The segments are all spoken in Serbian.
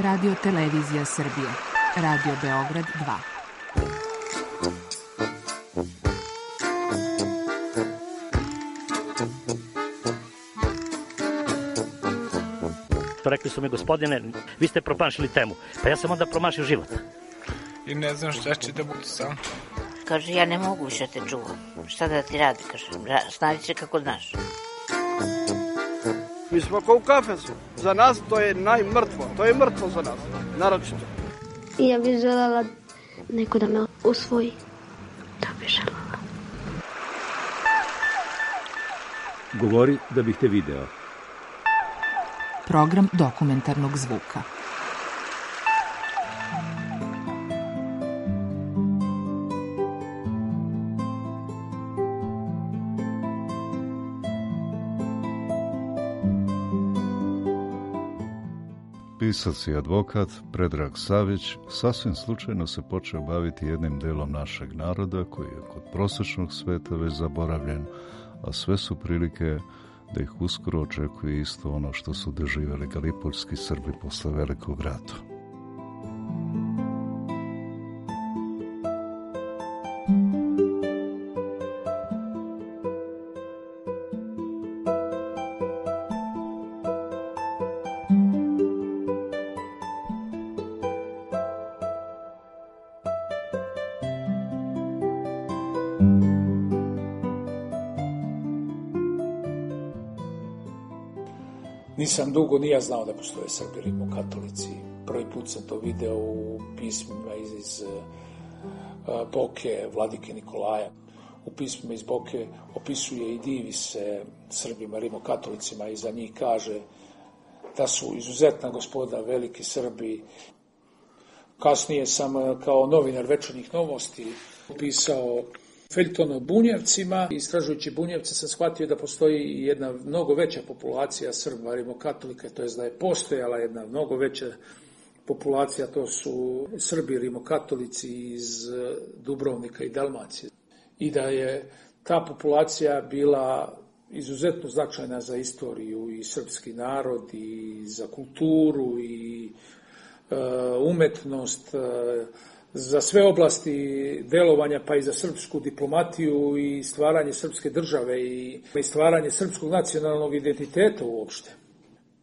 Radio Televizija Srbije. Radio Beograd 2. Rekli su mi, gospodine, vi ste promašili temu. Pa ja sam onda promašio život. I ne znam šta će da bude sam. Kaže, ja ne mogu više te čuvam. Šta da ti radi? Kaže, snađi se kako znaš. Mi smo kao u kafesu. Za nas to je najmrtvo. To je mrtvo za nas. Naročito. I ja bih željela neko da me usvoji. Da bih željela. Govori da bih te video. Program dokumentarnog zvuka. Pisac i advokat Predrag Savić sasvim slučajno se počeo baviti jednim delom našeg naroda koji je kod prosječnog sveta već zaboravljen, a sve su prilike da ih uskoro očekuje isto ono što su doživjeli galipoljski Srbi posle Velikog rata. Nisam dugo ni ja znao da postoje Srbi rimokatolici. Prvi put sam to video u pismima iz Boke Vladike Nikolaja. U pismima iz Boke opisuje i divi se Srbima rimokatolicima i za njih kaže da su izuzetna gospoda, veliki Srbi. Kasnije sam kao novinar Večernjih novosti pisao feljton o Bunjevcima. Istražujući Bunjevce sam shvatio da postoji jedna mnogo veća populacija Srba rimokatolika, to je da je postojala jedna mnogo veća populacija, to su Srbi rimokatolici iz Dubrovnika i Dalmacije. I da je ta populacija bila izuzetno značajna za istoriju i srpski narod i za kulturu i umetnost, za sve oblasti delovanja, pa i za srpsku diplomatiju i stvaranje srpske države i stvaranje srpskog nacionalnog identiteta uopšte.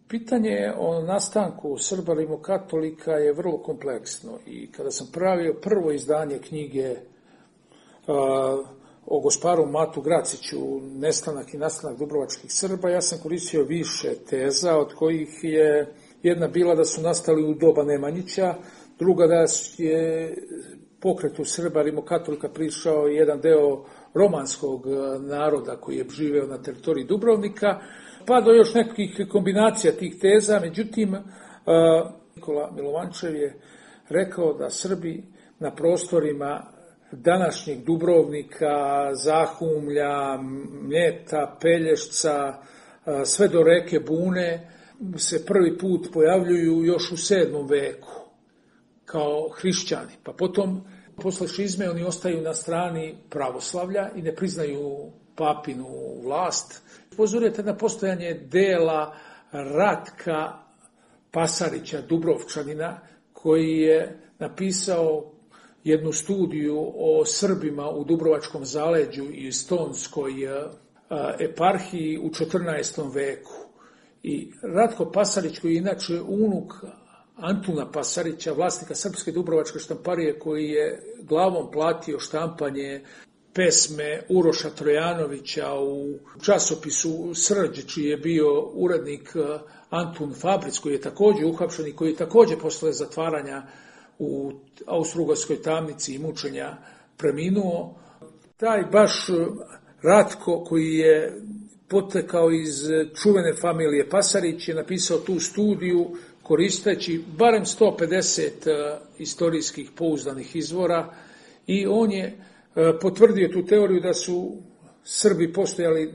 Pitanje o nastanku Srba rimokatolika je vrlo kompleksno i kada sam pravio prvo izdanje knjige o gosparu Matu Graciću, Nestanak i nastanak dubrovačkih Srba, ja sam koristio više teza, od kojih je jedna bila da su nastali u doba Nemanjića, druga da je pokretu Srba rimokatolika prišao jedan deo romanskog naroda koji je živeo na teritoriji Dubrovnika, pa do još nekih kombinacija tih teza. Međutim, Nikola Milovančev je rekao da Srbi na prostorima današnjeg Dubrovnika, Zahumlja, Mljeta, Pelješca, sve do reke Bune se prvi put pojavljuju još u 7. veku kao hrišćani. Pa potom, posle šizme, oni ostaju na strani pravoslavlja i ne priznaju papinu vlast. Upozorujete na postojanje dela Ratka Pasarića, Dubrovčanina, koji je napisao jednu studiju o Srbima u Dubrovačkom zaleđu i Stonskoj eparhiji u 14. veku. I Ratko Pasarić, koji je inače unuk Antuna Pasarića, vlasnika Srpske dubrovačke štamparije, koji je glavom platio štampanje pesme Uroša Trojanovića u časopisu Srđ, čiji je bio urednik Antun Fabric, koji je također uhapšen i koji je također posle zatvaranja u Austrougarskoj tamnici i mučenja preminuo. Taj baš Ratko, koji je potekao iz čuvene familije Pasarić, je napisao tu studiju koristeći barem 150 istorijskih pouzdanih izvora i on je potvrdio tu teoriju da su Srbi postojali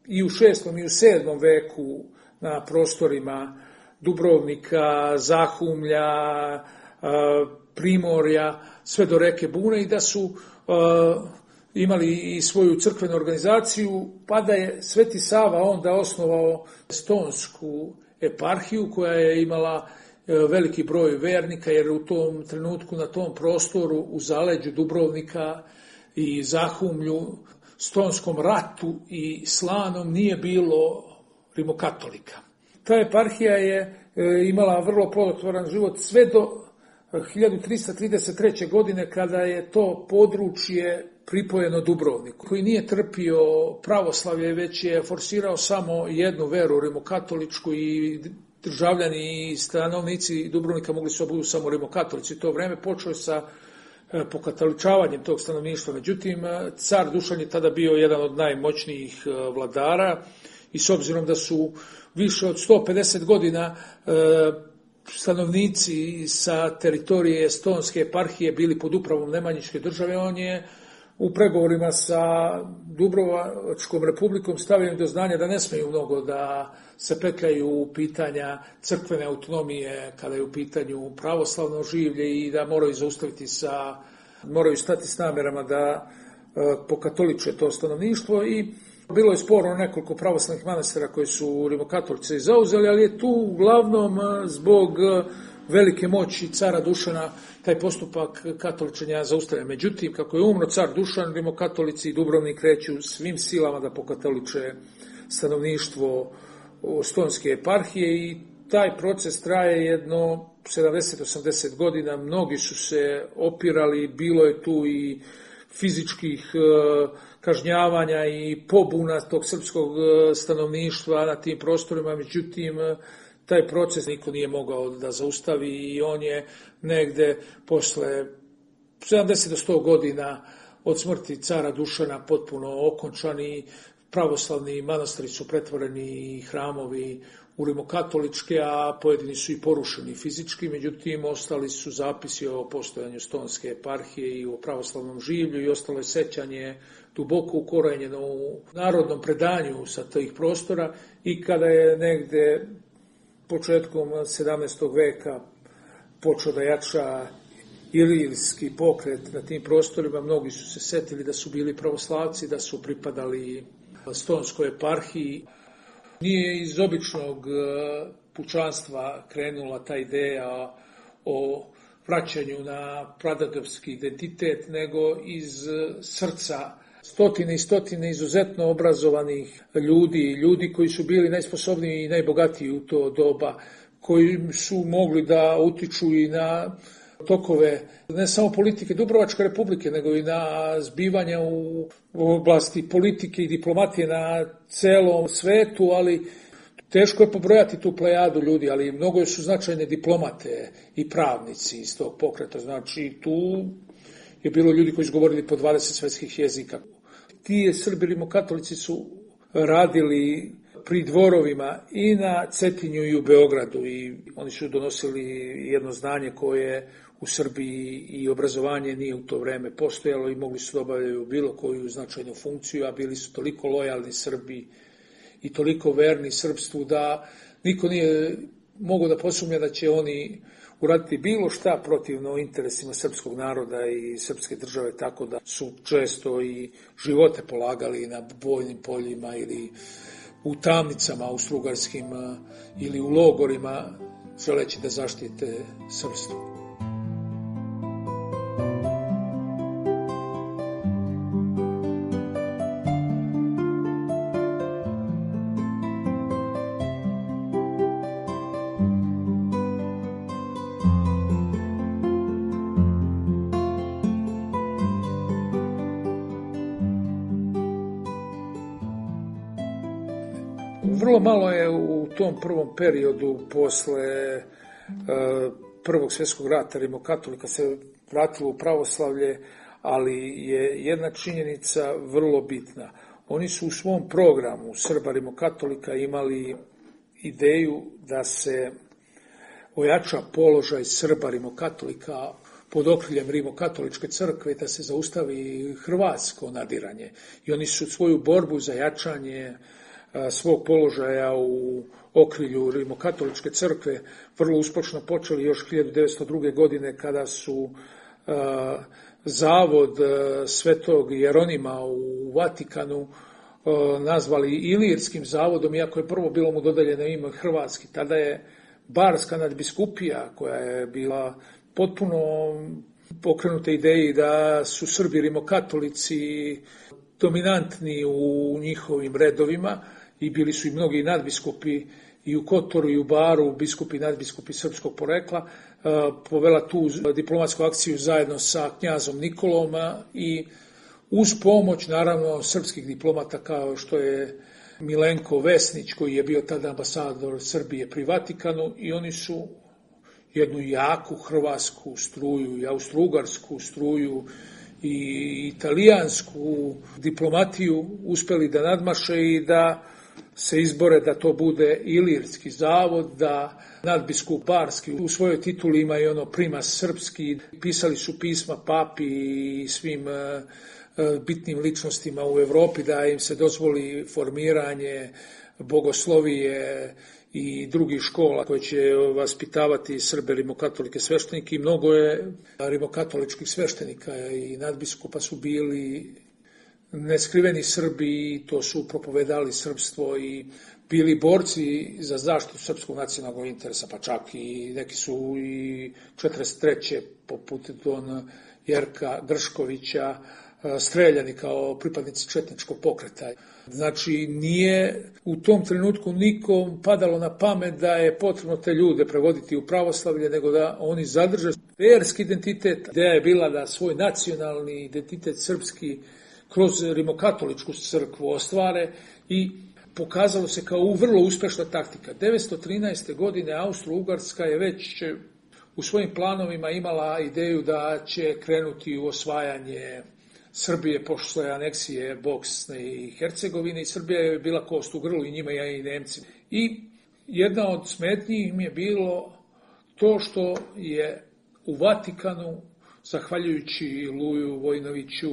i u 6. i u 7. veku na prostorima Dubrovnika, Zahumlja, Primorja, sve do reke Bune i da su imali i svoju crkvenu organizaciju, pa da je Sveti Sava onda osnovao Stonsku eparhiju koja je imala veliki broj vernika, jer u tom trenutku na tom prostoru u zaleđu Dubrovnika i Zahumlju, Stonskom ratu i Slanom nije bilo rimokatolika. Ta eparhija je imala vrlo plodotvoran život sve do 1333. godine kada je to područje pripojeno Dubrovniku, koji nije trpio pravoslavlje, već je forsirao samo jednu veru, rimokatoličku, i državljani i stanovnici Dubrovnika mogli su budu samo rimokatolici. To vreme počeo je sa pokatoličavanjem tog stanovništva. Međutim, car Dušan je tada bio jedan od najmoćnijih vladara i s obzirom da su više od 150 godina stanovnici sa teritorije Estonske eparhije bili pod upravom Nemanjićke države, on je u pregovorima sa Dubrovačkom republikom stavio do znanja da ne smeju mnogo da se petljaju u pitanja crkvene autonomije kada je u pitanju pravoslavno življe i da moraju moraju stati s namerama da pokatoliče to stanovništvo. I bilo je sporno nekoliko pravoslavnih manastira koji su rimokatolici zauzeli, ali je tu uglavnom zbog velike moći cara Dušana taj postupak katoličenja zaustavlja. Međutim, kako je umro car Dušan, rimokatolici i Dubrovnik kreću svim silama da pokatoliče stanovništvo Stonske eparhije i taj proces traje jedno 70-80 godina. Mnogi su se opirali, bilo je tu i fizičkih kažnjavanja i pobuna tog srpskog stanovništva na tim prostorima, međutim, taj proces niko nije mogao da zaustavi i on je negde posle 70 do 100 godina od smrti cara Dušana potpuno okončan i pravoslavni manastiri su pretvoreni i hramovi u rimokatoličke, a pojedini su i porušeni fizički, međutim ostali su zapisi o postojanju Stonske eparhije i o pravoslavnom življu i ostalo je sećanje duboko ukorenjeno u narodnom predanju sa tih prostora i kada je negde početkom 17. veka počeo da jača ilirski pokret na tim prostorima, mnogi su se setili da su bili pravoslavci, da su pripadali Stonskoj eparhiji. Nije iz običnog pučanstva krenula ta ideja o vraćanju na pradedovski identitet, nego iz srca stotine i stotine izuzetno obrazovanih ljudi koji su bili najsposobniji i najbogatiji u to doba, koji su mogli da utiču i na tokove ne samo politike Dubrovačke republike, nego i na zbivanja u oblasti politike i diplomatije na celom svetu, ali teško je pobrojati tu plejadu ljudi, ali mnogo su značajne diplomate i pravnici iz tog pokreta. Znači, tu je bilo ljudi koji su govorili po 20 svetskih jezika. Ti Srbi rimokatolici su radili pri dvorovima i na Cetinju i u Beogradu i oni su donosili jedno znanje koje u Srbiji i obrazovanje nije u to vreme postojalo i mogli su da obavljaju bilo koju značajnu funkciju, a bili su toliko lojalni Srbi i toliko verni srpstvu da niko nije mogao da posumnja da će oni uraditi bilo šta protivno interesima srpskog naroda i srpske države, tako da su često i živote polagali na bojnim poljima ili u tamnicama austrougarskim ili u logorima, želeći da zaštite srpstvo. Vrlo malo je u tom prvom periodu posle Prvog svjetskog rata rimokatolika se vratilo u pravoslavlje, ali je jedna činjenica vrlo bitna. Oni su u svom programu Srba rimokatolika imali ideju da se ojača položaj Srba rimokatolika pod okriljem rimokatoličke crkve, da se zaustavi hrvatsko nadiranje. I oni su svoju borbu za jačanje svog položaja u okrilju rimokatoličke crkve vrlo uspešno počeli još 1902. godine kada su zavod Svetog Jeronima u Vatikanu nazvali Ilirskim zavodom, iako je prvo bilo mu dodeljeno ime hrvatski. Tada je barska nadbiskupija koja je bila potpuno pokrenuta ideji da su Srbi rimokatolici dominantni u njihovim redovima i bili su i mnogi nadbiskupi i u Kotoru i u Baru, biskupi i nadbiskupi srpskog porekla, povela tu diplomatsku akciju zajedno sa knjazom Nikolom i uz pomoć, naravno, srpskih diplomata kao što je Milenko Vesnić, koji je bio tada ambasador Srbije pri Vatikanu, i oni su jednu jaku hrvatsku struju i austrougarsku struju i italijansku diplomatiju uspeli da nadmaše i da se izbore da to bude Ilirski zavod, da nadbiskup Barski u svojoj tituli ima i ono primas srpski. Pisali su pisma papi i svim bitnim ličnostima u Evropi da im se dozvoli formiranje bogoslovije i drugih škola koje će vaspitavati Srbe rimokatolike sveštenike, i mnogo je rimokatoličkih sveštenika i nadbiskupa su bili neskriveni Srbi i to su propovedali srpstvo i bili borci za zaštitu srpskog nacionalnog interesa, pa čak i neki su i 43. poput Don Jerka Grškovića streljani kao pripadnici četničkog pokreta. Znači, nije u tom trenutku nikom padalo na pamet da je potrebno te ljude prevoditi u pravoslavlje, nego da oni zadrže verski identitet. Ideja je bila da svoj nacionalni identitet srpski kroz rimokatoličku crkvu ostvare i pokazalo se kao vrlo uspešna taktika. 913. godine Austro-Ugarska je već u svojim planovima imala ideju da će krenuti u osvajanje Srbije posle aneksije Bosne i Hercegovine, i Srbija je bila kost u grlu i njima i Nemci. I jedna od smetnji im je bilo to što je u Vatikanu, zahvaljujući Luju Vojnoviću,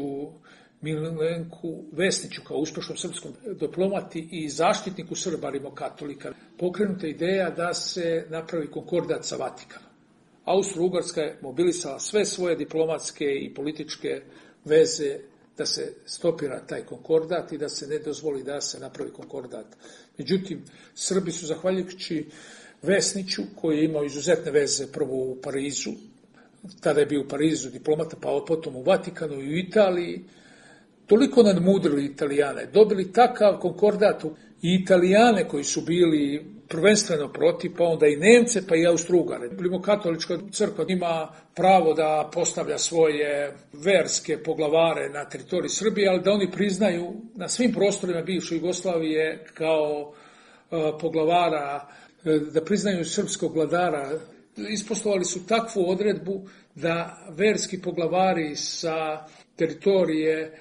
Milenku Vesniću kao uspešnom srpskom diplomati i zaštitniku Srba rimokatolika, pokrenuta ideja da se napravi konkordat sa Vatikanom. Austro-Ugarska je mobilisala sve svoje diplomatske i političke veze da se stopira taj konkordat i da se ne dozvoli da se napravi konkordat. Međutim, Srbi su, zahvaljujući Vesniću, koji je imao izuzetne veze prvo u Parizu, tada je bio u Parizu diplomata, pa potom u Vatikanu i u Italiji, toliko nadmudrili Italijane, dobili takav konkordat i Italijane koji su bili prvenstveno protiv, pa onda i Nemce, pa i Austro-Ugare. Rimokatolička crkva ima pravo da postavlja svoje verske poglavare na teritoriji Srbije, ali da oni priznaju na svim prostorima bivše Jugoslavije kao poglavara, da priznaju srpskog vladara. Isposlovali su takvu odredbu da verski poglavari sa teritorije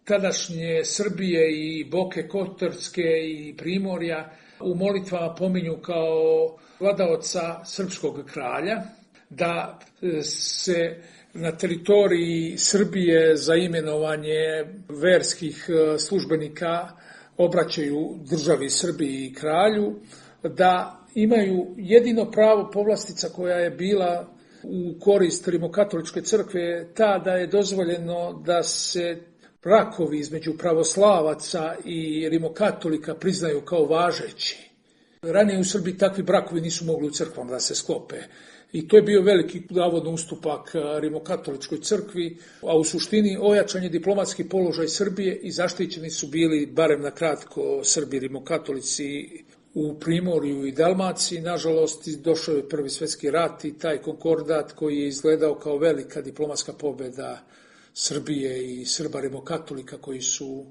tadašnje Srbije i Boke Kotorske i Primorja u molitvama pominju kao vladaoca srpskog kralja, da se na teritoriji Srbije za imenovanje verskih službenika obraćaju državi Srbiji i kralju, da imaju jedino pravo povlastica koja je bila u korist rimokatoličke crkve, ta da je dozvoljeno da se brakovi između pravoslavaca i rimokatolika priznaju kao važeći. Ranije u Srbiji takvi brakovi nisu mogli u crkvama da se sklope. I to je bio veliki navodno ustupak rimokatoličkoj crkvi, a u suštini ojačan je diplomatski položaj Srbije i zaštićeni su bili, barem na kratko, Srbi rimokatolici u Primorju i Dalmaciji. Nažalost, došao je Prvi svjetski rat i taj konkordat koji je izgledao kao velika diplomatska pobjeda Srbije i Srba rimokatolika koji su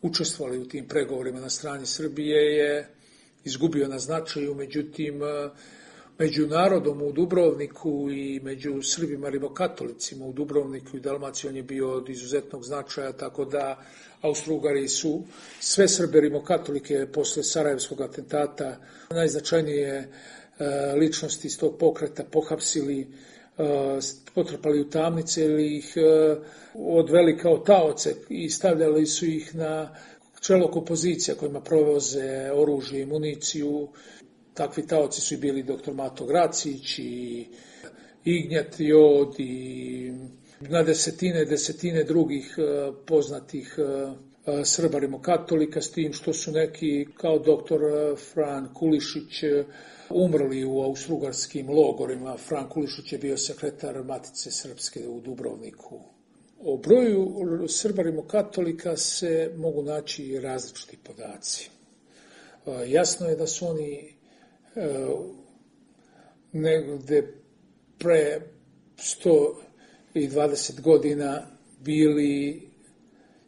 učestvovali u tim pregovorima na strani Srbije je izgubio na značaju. Međutim, među narodom u Dubrovniku i među Srbima rimokatolicima u Dubrovniku i Dalmaciji on je bio od izuzetnog značaja, tako da Austro-Ugari su sve Srbe rimokatolike posle Sarajevskog atentata, najznačajnije ličnosti iz tog pokreta pohapsili, potrpali u tamnice ili ih odveli kao taoce i stavljali su ih na čelo kompozicija kojima provoze oružje i municiju. Takvi taoci su i bili dr. Mato Gracić i Ignjat Jod i na desetine drugih poznatih Srba rimokatolika, s tim što su neki, kao doktor Fran Kulišić, umrli u austrougarskim logorima. Fran Kulišić je bio sekretar Matice Srpske u Dubrovniku. O broju Srba rimokatolika se mogu naći različiti podaci. Jasno je da su oni negde pre 120 godina bili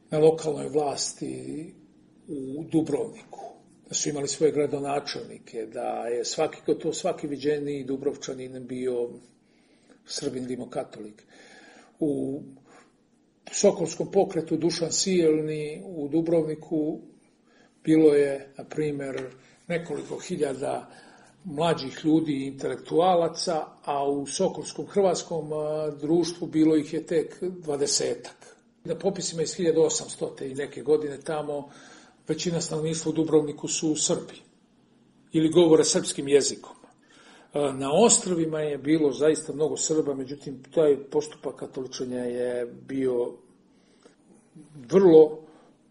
na lokalnoj vlasti u Dubrovniku, da su imali svoje gradonačelnike, da je svaki viđeniji Dubrovčanin bio Srbin rimokatolik. U Sokolskom pokretu Dušan Sijelni u Dubrovniku bilo je, na primjer, nekoliko hiljada mlađih ljudi i intelektualaca, a u Sokolskom hrvatskom društvu bilo ih je tek 20-ak. Na popisima iz 1800. i neke godine tamo većina stanovništva u Dubrovniku su Srbi ili govore srpskim jezikom. Na ostrvima je bilo zaista mnogo Srba, međutim taj postupak katoličenja je bio vrlo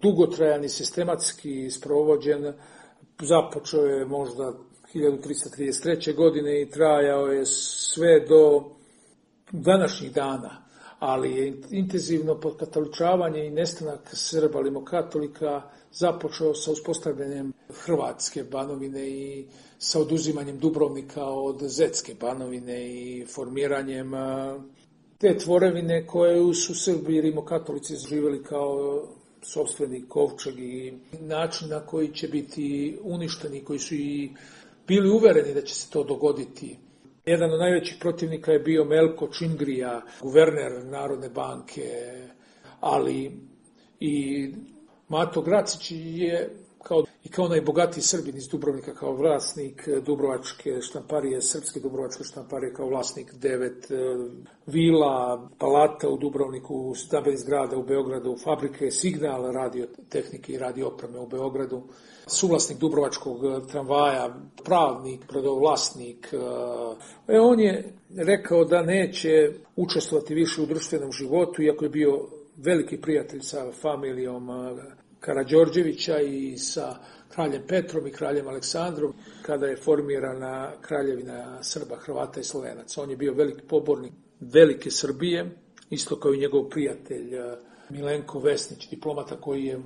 dugotrajan i sistematski sprovođen. Započeo je možda 1333. godine i trajao je sve do današnjih dana, ali je intenzivno podkatoličavanje i nestanak Srba rimokatolika započeo sa uspostavljanjem Hrvatske Banovine i sa oduzimanjem Dubrovnika od Zetske Banovine i formiranjem te tvorevine koje su Srbi rimokatolici živjeli kao sopstveni kovčeg i način na koji će biti uništeni, koji su i bili uvereni da će se to dogoditi. Jedan od najvećih protivnika je bio Melko Čingrija, guverner Narodne banke, ali i Mato Gracić je kao najbogatiji Srbin iz Dubrovnika, kao vlasnik Dubrovačke štamparije, Srpske Dubrovačke štamparije, kao vlasnik 9 vila, palata u Dubrovniku, stambenih zgrada u Beogradu, fabrike Signal, radiotehnike i radioopreme u Beogradu, suvlasnik Dubrovačkog tramvaja, pravnik, brodovlasnik. On je rekao da neće učestvovati više u društvenom životu, iako je bio veliki prijatelj sa familijom Karađorđevića i sa kraljem Petrom i kraljem Aleksandrom, kada je formirana kraljevina Srba, Hrvata i Slovenaca. On je bio veliki pobornik velike Srbije, isto kao i njegov prijatelj Milenko Vesnić, diplomata koji je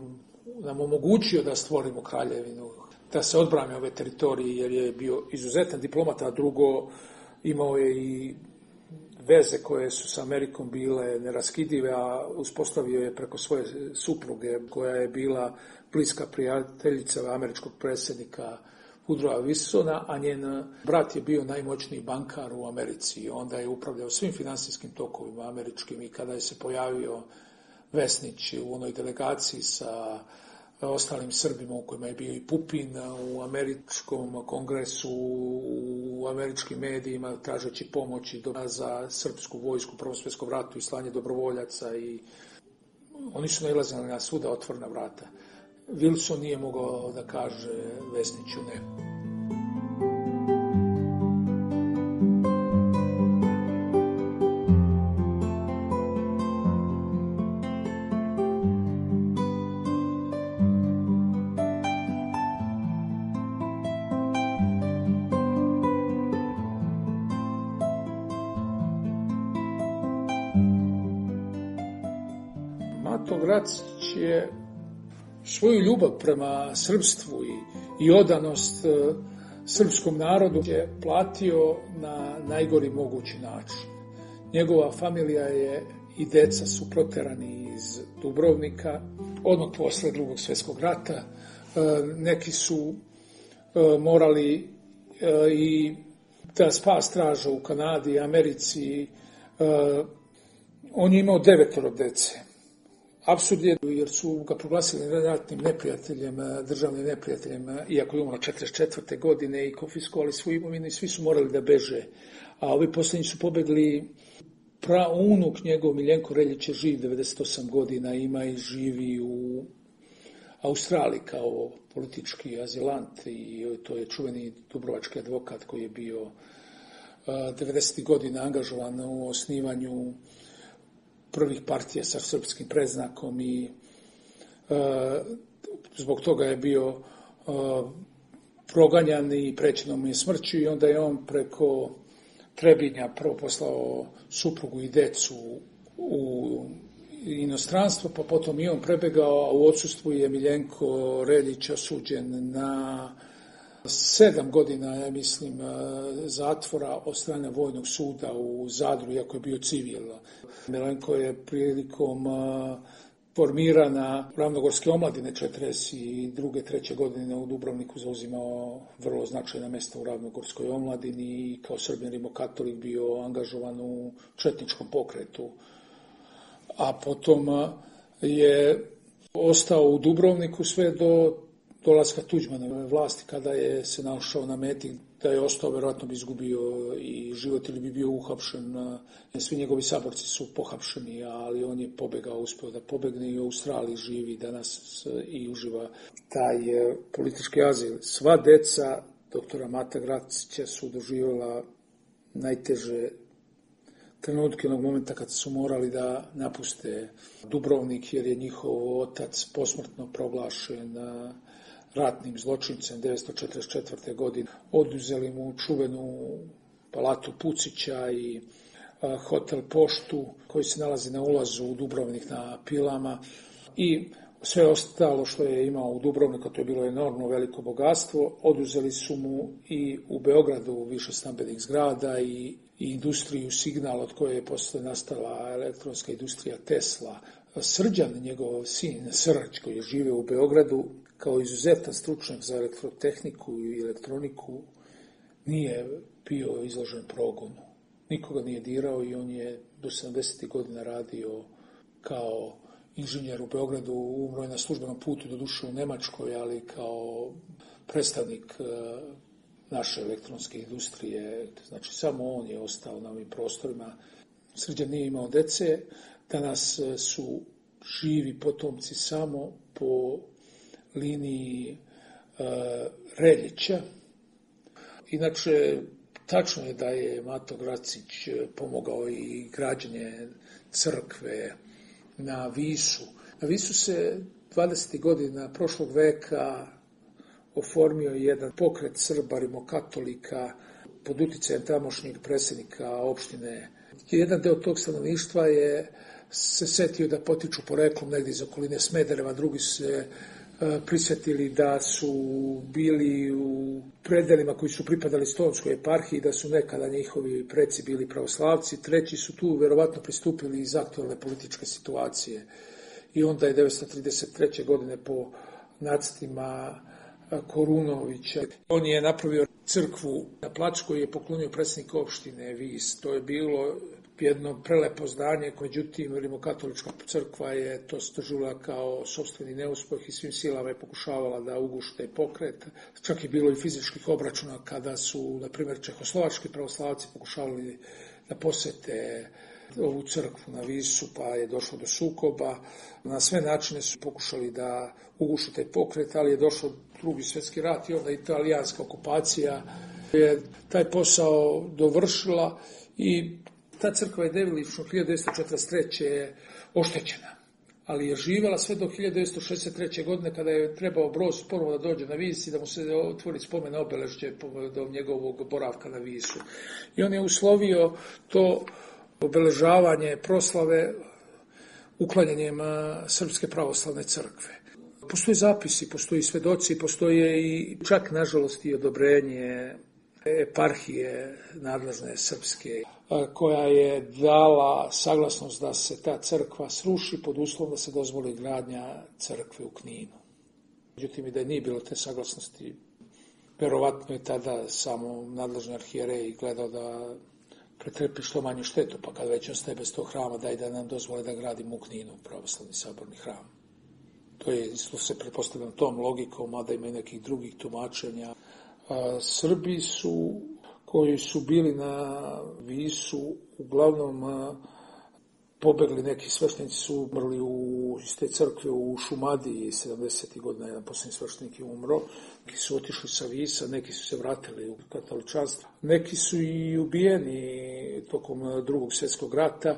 nam omogućio da stvorimo kraljevinu, da se odbrane ove teritorije, jer je bio izuzetan diplomata, a drugo imao je i veze koje su sa Amerikom bile neraskidive, a uspostavio je preko svoje supruge, koja je bila bliska prijateljica američkog predsjednika Woodrowa Wilsona, a njen brat je bio najmoćniji bankar u Americi. Onda je upravljao svim finansijskim tokovima američkim i kada je se pojavio Vesnić u onoj delegaciji sa ostalim Srbima u kojima je bio i Pupin u američkom kongresu, u američkim medijima, tražeći pomoći za srpsku vojsku u Prvom svjetskom ratu i slanje dobrovoljaca, i oni su nailazili na svuda otvorena vrata. Wilson nije mogao da kaže Vesniću ne. Mato Gracić je svoju ljubav prema srpstvu i odanost srpskom narodu je platio na najgori mogući način. Njegova familija je i deca su proterani iz Dubrovnika odmah posle Drugog svjetskog rata. Neki su morali i da spas traža u Kanadi i Americi. On je imao 9 dece. Apsurd je, jer su ga proglasili ratnim neprijateljem, državnim neprijateljem, iako je umro 1944. godine i konfiskovali svoju imovinu i svi su morali da beže. A ovi posljednji su pobegli. Praunuk njegov Miljenko Reljić je živ 98 godina, ima i živi u Australiji kao politički azilant, i to je čuveni dubrovački advokat koji je bio 90. godina angažovan u osnivanju prvih partija sa srpskim predznakom i Zbog toga je bio proganjan i prećeno mu je smrću i onda je on preko Trebinja prvo poslao suprugu i decu u inostranstvo, pa potom i on prebegao, a u odsustvu je Miljenko Reljić osuđen na 7 godina, ja mislim, zatvora od strane Vojnog suda u Zadru, iako je bio civil. Miljenko je prilikom formirana Ravnogorske omladine 42. 3. godine u Dubrovniku zauzimao vrlo značajna mjesta u Ravnogorskoj omladini i kao Srbin rimokatolik bio angažovan u četničkom pokretu. A potom je ostao u Dubrovniku sve do dolaska Tuđmanove vlasti, kada je se našao na meti da je ostao, verovatno bi izgubio i život ili bi bio uhapšen. Svi njegovi saborci su pohapšeni, ali on je pobegao, uspio da pobegne i u Australiji živi danas i uživa taj politički azil. Sva deca doktora Mata Gracića su doživjela najteže trenutke onog momenta kad su morali da napuste Dubrovnik, jer je njihov otac posmrtno proglašen ratnim zločincem 1944. godine. Oduzeli mu čuvenu palatu Pucića i hotel Poštu koji se nalazi na ulazu u Dubrovnik na Pilama i sve ostalo što je imao u Dubrovniku, to je bilo enormno veliko bogatstvo. Oduzeli su mu i u Beogradu više stambenih zgrada i industriju Signal, od koje je posle nastala elektronska industrija Tesla. Srđan, njegov sin Srđ, koji je živio u Beogradu, kao izuzetan stručnjak za elektrotehniku i elektroniku, nije bio izložen progonu. Nikoga nije dirao i on je do 70. godina radio kao inženjer u Beogradu, umro je na službenom putu, doduše u Nemačkoj, ali kao predstavnik naše elektronske industrije. Znači, samo on je ostao na ovim prostorima. Srđan nije imao dece. Danas su živi potomci samo po liniji Reljića. Inače, tačno je da je Mato Gracić pomogao i građenje crkve na Visu. Na Visu se 20. godina prošlog veka oformio jedan pokret Srba rimokatolika pod uticajem tamošnjeg predsjednika opštine. Jedan deo tog stanovništva je se setio da potiču poreklom negdje iz okoline Smedereva, drugi se prisjetili da su bili u predelima koji su pripadali Stonskoj eparhiji, da su nekada njihovi preci bili pravoslavci, treći su tu verovatno pristupili iz aktualne političke situacije. I onda je 1933. godine po nacrtima Korunovića, on je napravio crkvu na placu koju je poklonio predsjednik opštine Vis. To je bilo jedno prelepo zdanje, međutim rimokatolička crkva je to doživjela kao sopstveni neuspeh i svim silama je pokušavala da uguši taj pokret. Čak je bilo i fizičkih obračuna kada su, na primjer, čehoslovački pravoslavci pokušavali da posete ovu crkvu na Visu, pa je došlo do sukoba. Na sve načine su pokušali da ugušu taj pokret, ali je došao Drugi svjetski rat i onda italijanska okupacija je taj posao dovršila i ta crkva je delimično 1943. oštećena, ali je živjela sve do 1963. godine kada je trebao Broz ponovo da dođe na Vis i da mu se otvori spomen obeležje do njegovog boravka na Visu. I on je uslovio to obeležavanje proslave uklanjanjem Srpske pravoslavne crkve. Postoje zapisi, postoji svedoci, postoje i čak, nažalost, i odobrenje eparhije nadležne srpske, koja je dala saglasnost da se ta crkva sruši pod uslovom da se dozvoli gradnja crkve u Kninu. Međutim, i da nije bilo te saglasnosti, verovatno je tada samo nadležni arhijerej gledao da pretrpi što manju štetu, pa kad već ostaje bez tog hrama, daj da nam dozvole da gradimo u Kninu pravoslavni saborni hram. To je isto se pretpostavljam tom logikom, mada ima i nekih drugih tumačenja. Srbi koji su bili na Visu uglavnom pobegli, neki sveštenici su umrli iz te crkve u Šumadiji 70. godina, jedan posljednji sveštenik je umro, neki su otišli sa Visa, neki su se vratili u katoličanstvo, neki su i ubijeni tokom Drugog svjetskog rata.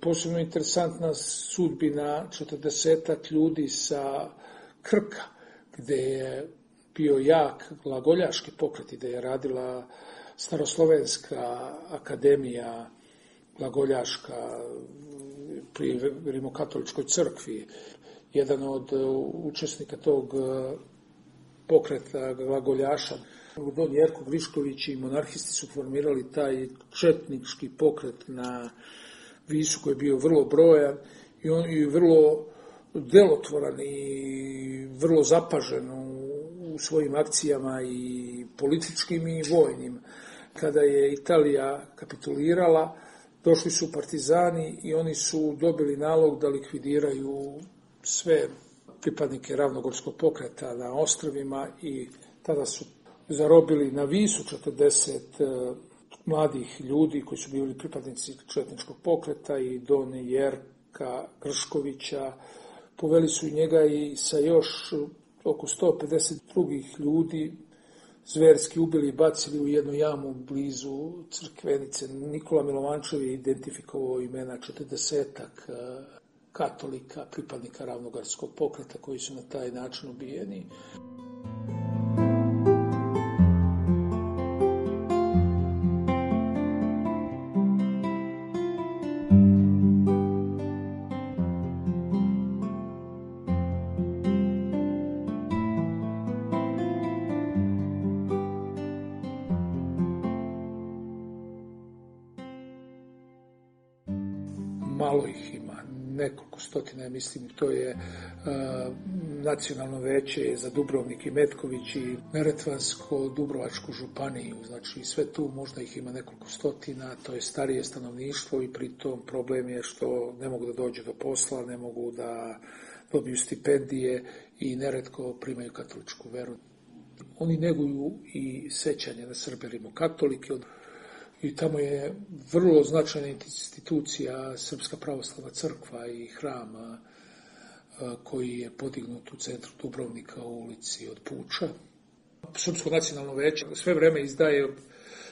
Posebno interesantna sudbina 40 ljudi sa Krka, gde je bio jak glagoljaški pokret, gde je radila Staroslovenska akademija glagoljaška pri Rimokatoličkoj crkvi. Jedan od učesnika tog pokreta glagoljaša, Don Jerko Grišković i monarhisti su formirali taj četnički pokret na Visu koji je bio vrlo brojan i on je vrlo delotvoran i vrlo zapažen u svojim akcijama i političkim i vojnim. Kada je Italija kapitulirala, došli su partizani i oni su dobili nalog da likvidiraju sve pripadnike ravnogorskog pokreta na ostrvima i tada su zarobili na Visu 40 mladih ljudi koji su bili pripadnici četničkog pokreta i Don Jerka Grškovića. Poveli su njega i sa još oko 150 drugih ljudi, zverski ubili i bacili u jednu jamu blizu Crkvenice. Nikola Milovančev je identifikovao imena 40-ak katolika, pripadnika ravnogorskog pokreta koji su na taj način ubijeni. Malo ih ima, nekoliko stotina, mislim, to je Nacionalno veće za Dubrovnik i Metković i Neretvansko-Dubrovačku županiju, znači sve tu možda ih ima nekoliko stotina, to je starije stanovništvo i pritom problem je što ne mogu da dođu do posla, ne mogu da dobiju stipendije i neretko primaju katoličku veru. Oni neguju i sećanje na Srbe rimokatolike, i tamo je vrlo značajna institucija Srpska pravoslavna crkva i hram koji je podignut u centru Dubrovnika u ulici od Puča. Srpsko nacionalno veće sve vreme izdaje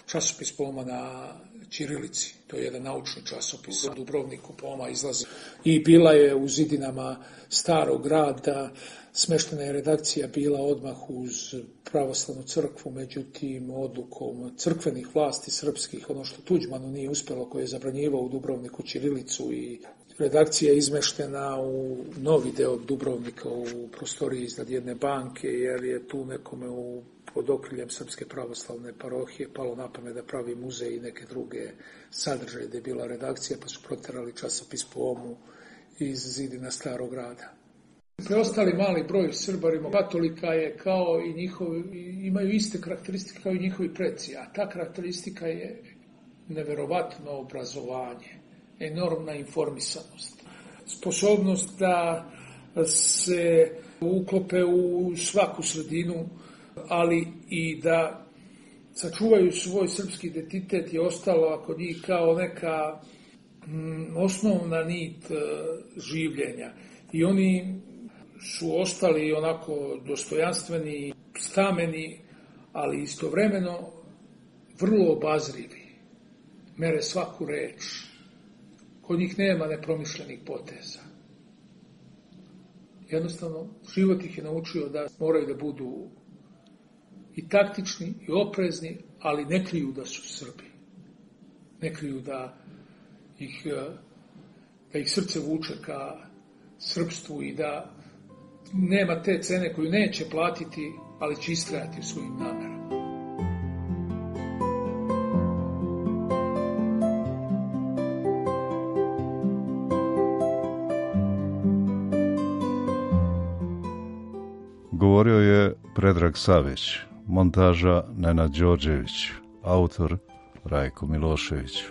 časopis poema na ćirilici. To je jedan naučni časopis. U Dubrovniku poema izlazi. I bila je u zidinama Starog grada. Smeštena je redakcija bila odmah uz pravoslavnu crkvu, međutim odlukom crkvenih vlasti srpskih, ono što Tuđmanu nije uspelo, koji je zabranjivao u Dubrovniku ćirilicu, i redakcija je izmeštena u novi deo Dubrovnika u prostoriji iznad jedne banke, jer je tu nekome pod okriljem Srpske pravoslavne parohije palo na pamet da pravi muzej i neke druge sadržaje gde je bila redakcija, pa su proterali časopis Poemu iz zidina Starog grada. Preostali mali broj Srba rimokatolika je kao i njihovi, imaju iste karakteristike kao i njihovi preci, a ta karakteristika je neverovatno obrazovanje, enormna informisanost, sposobnost da se uklope u svaku sredinu, ali i da sačuvaju svoj srpski identitet je ostalo kod njih kao neka osnovna nit življenja. I oni su ostali onako dostojanstveni, stameni, ali istovremeno vrlo obazrivi. Mere svaku reč. Kod njih nema nepromišljenih poteza. Jednostavno, život ih je naučio da moraju da budu i taktični, i oprezni, ali ne kriju da su Srbi. Ne kriju da ih srce vuče ka srpstvu i da nema te cene koju neće platiti, ali će istrajati u svojim namerama. Govorio je Predrag Savić, montaža Nenad Đorđević, autor Rajko Milošević.